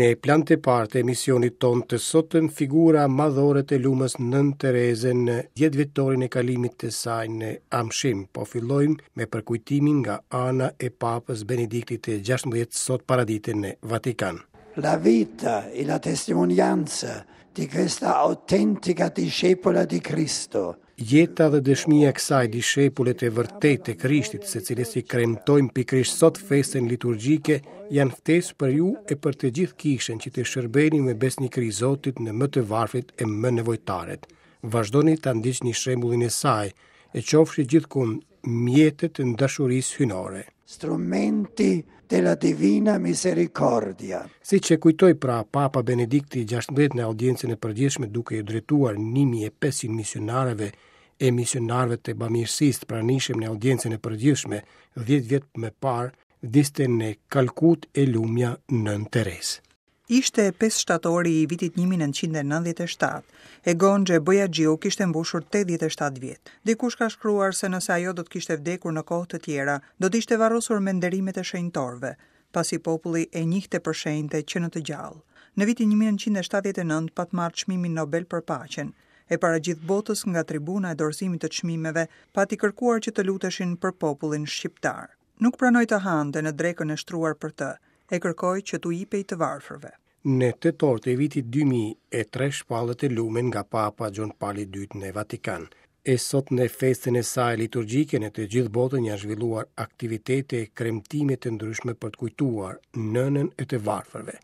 Në plan të parë të emisionit tonë të sotëm figura madhore të lumës Nënë Terezën në dhjetëvjetorin e kalimit të saj në amshim. Po fillojmë me përkujtimin nga ana e Papës Benediktit të 16 sot paradite në Vatikan. La vita e la testimonianza di questa autentica discepola di Cristo Jeta dhe dëshmia e kësaj dishepule të vërtetë të Krishtit, së cilës i kremtojmë pikërisht sot festën liturgjike, janë ftesë për ju e për të gjithë kishën që të shërbeni me besnikëri Zotit në më të varfrit e më nevojtarët. Vazhdoni ta ndiqni shembullin e saj, e qofshi gjithkund mjete të dashurisë hyjnore. Strumenti della divina misericordia. Siç e kujtoi pra Papa Benedikti XVI në audiencën e përgjithshme duke iu drejtuar 1500 misionarëve e misionarëve të bamirësisë të pranishëm në audiencën e përgjithshme 10 vjet më parë, vdiste në Kalkutë e lumja Nënë Terezë. Ishte 5 shtatori i vitit 1997, e Gonxhe Bojaxhiu kishte mbushur 87 vjet. Dikush ka shkruar se nëse ajo do të kishte vdekur në kohë të tjera, do të ishte varrosur me nderimet e shenjtorëve, pasi populli e njihte për shenjte që në të gjallë. Në vitin 1979 pat marrë çmimin Nobel për paqen, e para gjithë botës nga tribuna e dorëzimit të çmimeve pati kërkuar që të luteshin për popullin shqiptar. Nuk pranoi të hante në drekën e shtruar për të, e kërkoi që t'u jipej të varfërve. Në tetor të vitit 2003 shpallet e lume nga Papa Gjon Pali II në Vatikan. E sot në festën e saj liturgjike në të gjithë botën janë zhvilluar aktivitete e kremtime të ndryshme për të kujtuar nënën e të varfërve.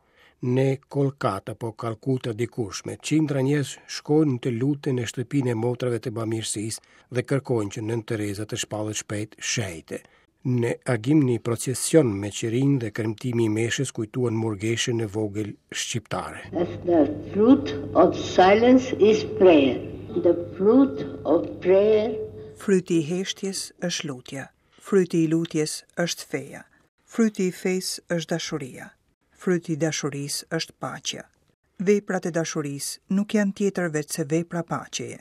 Në Kolkata apo Kalkuta dikurshme, qindra njerëz shkojnë të luten në shtëpinë e motrave të bamirësisë dhe kërkojnë që Nënë Tereza të shpallet shpejt shenjte. Në agim një procesion me qirinj dhe kremtimi i meshës kujtuan murgeshën e vogël shqiptare. The fruit of silence is prayer. The fruit of prayer. Fryti i heshtjes është lutja. Fryti i lutjes është feja. Fryti i fesë është dashuria. Fryti i dashurisë është paqja. Veprat e dashurisë nuk janë tjetër veçse vepra paqeje.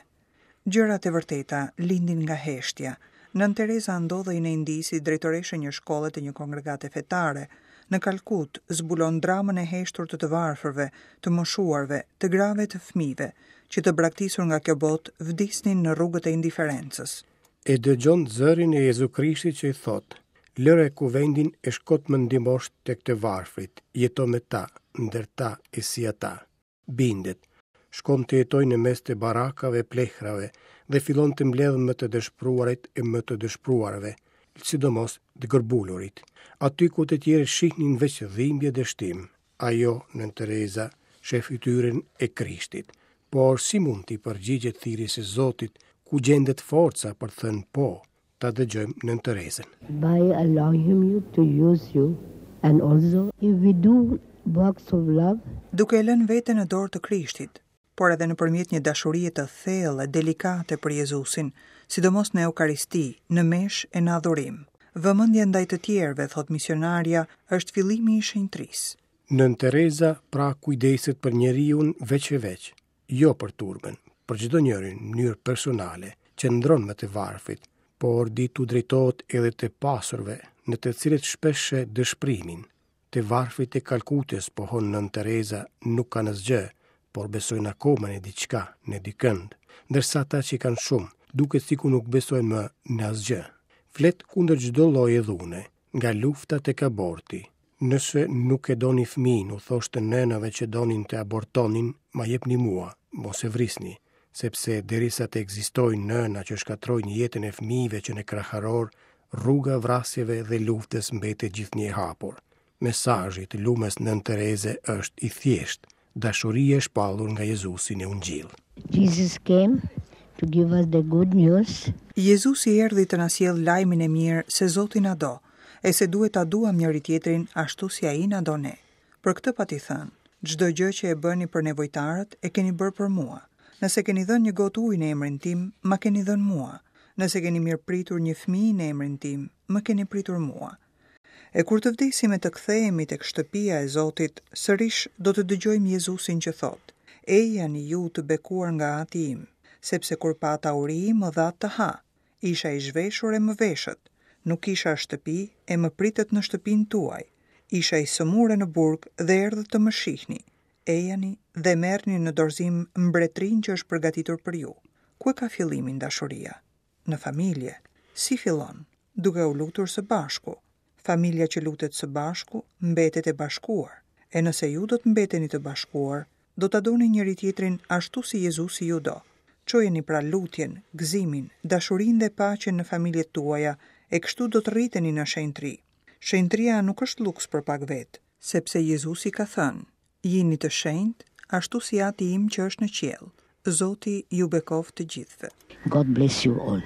Gjërat e vërteta lindin nga heshtja. Nënë Tereza ndodhej në Indi si drejtoreshë e një shkolle të një kongregate fetare. Në Kalkutë zbulon dramën e heshtur të të varfërve, të moshuarve, të grave e të fëmijëve, që të braktisur nga kjo botë vdisnin në rrugët e indiferencës. E dëgjon zërin e Jezu Krishtit që i thotë, Lëre kuvendin e shko të më ndihmosh tek të varfrit, jeto me ta, ndër ta e si ata. Bindet. Shkon të jetojë në mes të barakave e plehrave dhe fillon të mbledhë më të dëshpëruarit e më të dëshpëruarve, sidomos të gërbulurit. Aty ku të tjerët shihnin veç dhimbje e dështim, ajo, Nënë Tereza, sheh fytyrën e Krishtit. Por si mund t'i përgjigjet thirrjes së Zotit, ku gjendet forca për të thënë po, Ta dëgjojmë Nënë Terezën. By allowing him you to use you and also if we do works of love. Duke e lënë veten në dorë të Krishtit, por edhe nëpërmjet një dashurie të thellë e delikate për Jezusin, sidomos në Eukaristi, në meshë e në adhurim. Vëmendja ndaj të tjerëve, thotë misionarja, është fillimi i shenjtërisë. Nënë Tereza pra kujdeset për njeriun veç e veç, jo për turmën, për çdo njërin në mënyrë personale, qëndron me të varfrit, por di t'u drejtohet edhe të pasurve, në të cilët shpesh sheh dëshpërimin. Të varfrit e Kalkutës, pohon Nënë Tereza, nuk kanë asgjë, por besojnë akoma në diçka, në dikënd, ndërsa ata që kanë shumë, duket sikur nuk besojnë më në asgjë. Flet kundër çdo lloji dhune, nga lufta tek aborti. Nëse nuk e doni fëmijën, u thoshte nënave që donin të abortonin, ma jepni mua, mos e vrisni, sepse derisa të ekzistojnë nëna që shkatërrojnë jetën e fëmijëve që në kraharor, rruga e vrasjeve dhe luftës mbetet gjithnjë e hapur. Mesazhi i të lumës Nënë Tereze është i thjeshtë, dashuria e shpallur nga Jezusi në Ungjill. Jesus came to give us the good news. Jezusi erdhi të na sjellë lajmin e mirë se Zoti na do, e se duhet ta duam njëri-tjetrin ashtu si ai na do ne. Për këtë pati thënë, Çdo gjë që e bëni për nevojtarët, e keni bërë për mua. Nëse keni dhënë një gotë ujë në emrin tim, ma keni dhënë mua. Nëse keni mirëpritur një fëmijë në emrin tim, më keni pritur mua. E kur të vdesim e të kthehemi tek shtëpia e Zotit, sërish do të dëgjojmë Jezusin që thotë, Ejani ju të bekuar nga Ati im, sepse kur pata uri më dhatë të ha, Isha i zhveshur e më veshët, nuk kisha shtëpi e më pritët në shtëpinë tuaj. Isha i sëmurë e në burg dhe erdhët të më shihni. Ejani dhe merrni në dorëzim mbretërinë që është përgatitur për ju. Ku e ka fillimin dashuria? Në familje. Si fillon? Duke u lutur së bashku. Familja që lutet së bashku mbetet e bashkuar. E nëse ju do të mbeteni të bashkuar, do ta doni njëri-tjetrin ashtu si Jezusi ju do. Çojeni pra lutjen, gëzimin, dashurinë dhe paqen në familjet tuaja e kështu do të rriteni në shenjtëri. Shenjtëria nuk është luks për pak vetë, sepse Jezusi ka thënë, Jini të shenjtë, ashtu si Ati im që është në qiell. Zoti ju bekoftë të gjithëve. God bless you all.